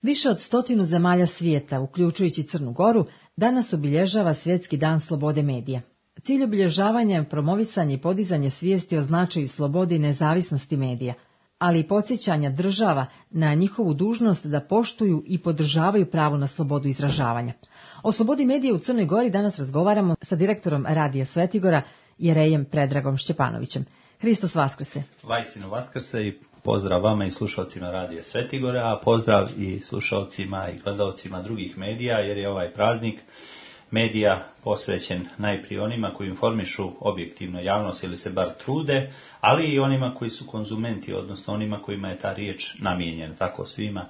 Više od 100 zemalja svijeta, uključujući Crnu Goru, danas obilježava Svjetski dan slobode medija. Cilj obilježavanja je promovisanje i podizanje svijesti o značaju slobode i nezavisnosti medija, ali i podsjećanja država na njihovu dužnost da poštuju i podržavaju pravo na slobodu izražavanja. O slobodi medija u Crnoj Gori danas razgovaramo sa direktorom Radija Svetigora, Jerejem Predragom Šćepanovićem. Hristos vaskrse. Vajsinu vaskrse i pozdrav vama i slušalcima Radija Svetigora, a pozdrav i slušalcima i gledalcima drugih medija, jer je ovaj praznik medija posvećen najprije onima koji informišu objektivno javnost ili se bar trude, ali i onima koji su konzumenti, odnosno onima kojima je ta riječ namijenjena. Tako svima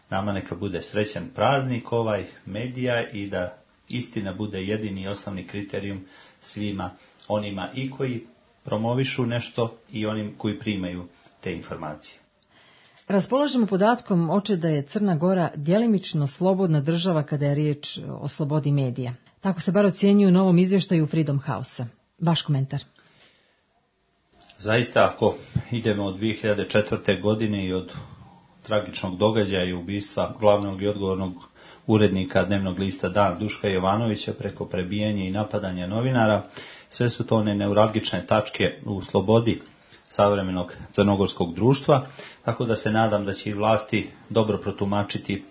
nama neka bude srećan praznik ovaj medija i da istina bude jedini i osnovni kriterijum svima onima i koji promovišu nešto i onim koji primaju te informacije. Raspolažemo podatkom da je Crna Gora djelimično slobodna država kada je riječ o slobodi medija. Tako se bar ocjenjuju u novom izvještaju Freedom House-a. Vaš komentar? Zaista, ako idemo od 2004. godine i od tragičnog događaja i ubistva glavnog i odgovornog urednika dnevnog lista Dan Duška Jovanovića preko prebijanja i napadanja novinara, sve su to one neuralgične tačke u slobodi savremenog crnogorskog društva, tako da se nadam da će i vlasti dobro protumačiti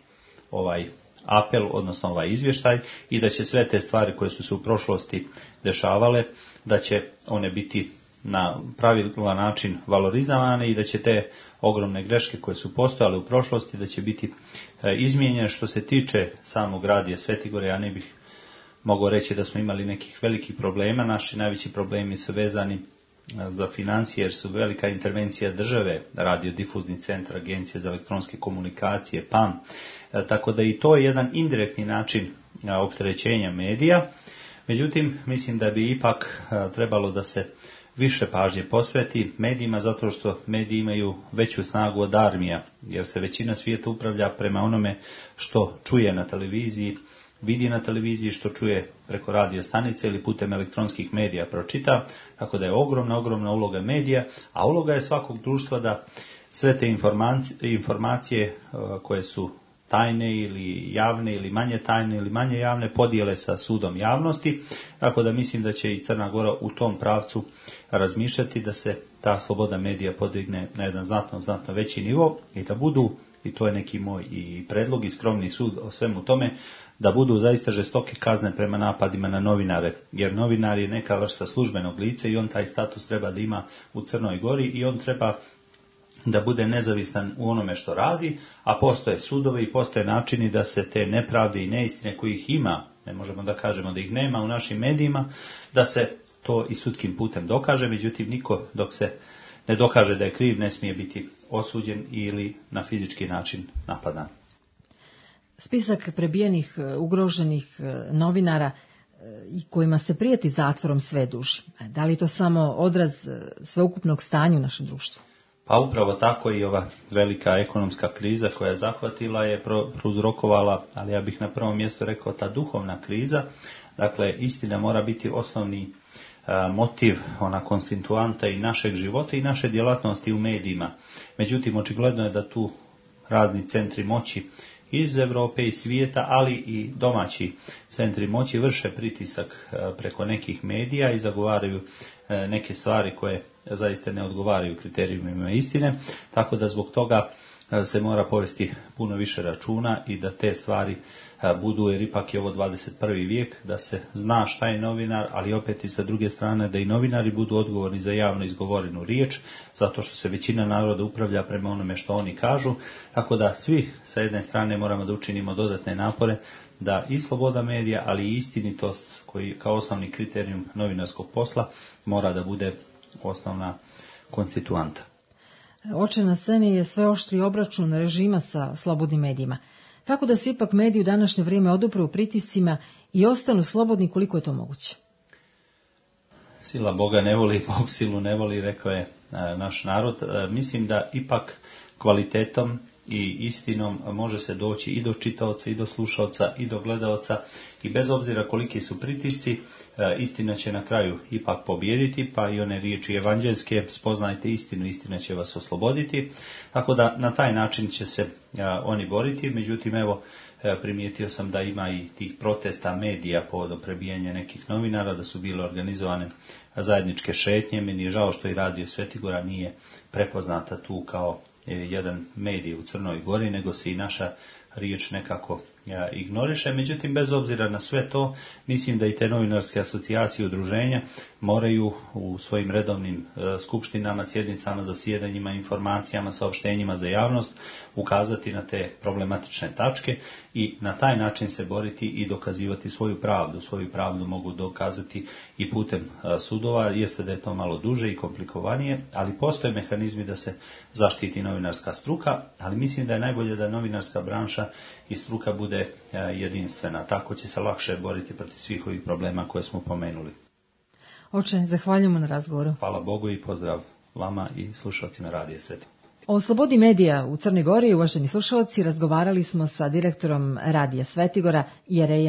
ovaj apel, odnosno ovaj izvještaj, i da će sve te stvari koje su se u prošlosti dešavale, da će one biti na pravilan način valorizovane i da će te ogromne greške koje su postojale u prošlosti, da će biti izmijenjene. Što se tiče samog Radija Svetigora, ja ne bih mogao reći da smo imali nekih velikih problema. Naši najveći problemi su vezani za financije, jer su velika intervencija države, radiodifuzni centar, Agencije za elektronske komunikacije, PAM, tako da i to je jedan indirektni način opterećenja medija. Međutim, mislim da bi ipak trebalo da se više pažnje posveti medijima, zato što mediji imaju veću snagu od armija, jer se većina svijeta upravlja prema onome što čuje na televiziji, vidi na televiziji, što čuje preko radio stanice ili putem elektronskih medija pročita, tako da je ogromna uloga medija, a uloga je svakog društva da sve te informacije koje su tajne ili javne ili manje tajne ili manje javne podijele sa sudom javnosti, tako da mislim da će i Crna Gora u tom pravcu razmišljati da se ta sloboda medija podigne na jedan znatno veći nivo i da budu, i to je neki moj i predlog i skromni sud o svemu tome, da budu zaista žestoke kazne prema napadima na novinare, jer novinar je neka vrsta službenog lica i on taj status treba da ima u Crnoj Gori i on treba da bude nezavisan u onome što radi, a postoje sudovi i postoje načini da se te nepravde i neistine kojih ima, ne možemo da kažemo da ih nema u našim medijima, da se to i sudskim putem dokaže. Međutim, niko dok se ne dokaže da je kriv ne smije biti osuđen ili na fizički način napadan. Spisak prebijenih, ugroženih novinara i kojima se prijeti zatvorom sve duži. Da li je to samo odraz sveukupnog stanja u našem društvu? Pa upravo tako i ova velika ekonomska kriza koja je zahvatila je prouzrokovala, ali ja bih na prvom mjestu rekao ta duhovna kriza. Dakle, istina mora biti osnovni motiv, ona konstituanta i našeg života i naše djelatnosti u medijima. Međutim, očigledno je da tu razni centri moći iz Europe i svijeta, ali i domaći centri moći vrše pritisak preko nekih medija i zagovaraju neke stvari koje zaista ne odgovaraju kriterijumima istine, tako da zbog toga se mora povesti puno više računa i da te stvari budu, jer ipak je ovo 21. vijek, da se zna šta je novinar, ali opet i sa druge strane da i novinari budu odgovorni za javno izgovorenu riječ, zato što se većina naroda upravlja prema onome što oni kažu, tako da svi sa jedne strane moramo da učinimo dodatne napore da i sloboda medija, ali i istinitost, koji kao osnovni kriterijum novinarskog posla mora da bude osnovna konstituanta. Oče na sceni je sve oštri obračun režima sa slobodnim medijima. Kako da se ipak mediji u današnje vrijeme odupru pritiscima i ostanu slobodni koliko je to moguće? Sila Boga ne voli, Bog silu ne voli, rekao je naš narod. Mislim da ipak kvalitetom i istinom može se doći i do čitaoca, i do slušaoca, i do gledaoca, i bez obzira koliki su pritisci, istina će na kraju ipak pobijediti, pa i one riječi evanđeljske, spoznajte istinu, istina će vas osloboditi. Tako da na taj način će se oni boriti. Međutim, evo, primijetio sam da ima i tih protesta medija povodom prebijanja nekih novinara, da su bile organizovane zajedničke šetnje. Meni je žao što i Radio Svetigora nije prepoznata tu kao jedan medij u Crnoj Gori, nego se i naša riječ nekako ignoriše. Međutim, bez obzira na sve to, mislim da i te novinarske asocijacije i udruženja moraju u svojim redovnim skupštinama, sjednicama, zasjedanjima, informacijama, saopštenjima za javnost ukazati na te problematične tačke i na taj način se boriti i dokazivati svoju pravdu. Svoju pravdu mogu dokazati i putem sudova, jeste da je to malo duže i komplikovanije, ali postoje mehanizmi da se zaštiti novinarska struka, ali mislim da je najbolje da novinarska branša i struka bude jedinstvena. Tako će se lakše boriti protiv svih ovih problema koje smo pomenuli. Oče, zahvaljujemo na razgovoru. Hvala Bogu i pozdrav vama i slušalcima Radija Svetigora. O slobodi medija u Crnoj Gori, uvaženi slušalci, razgovarali smo sa direktorom Radija Svetigora Jerejem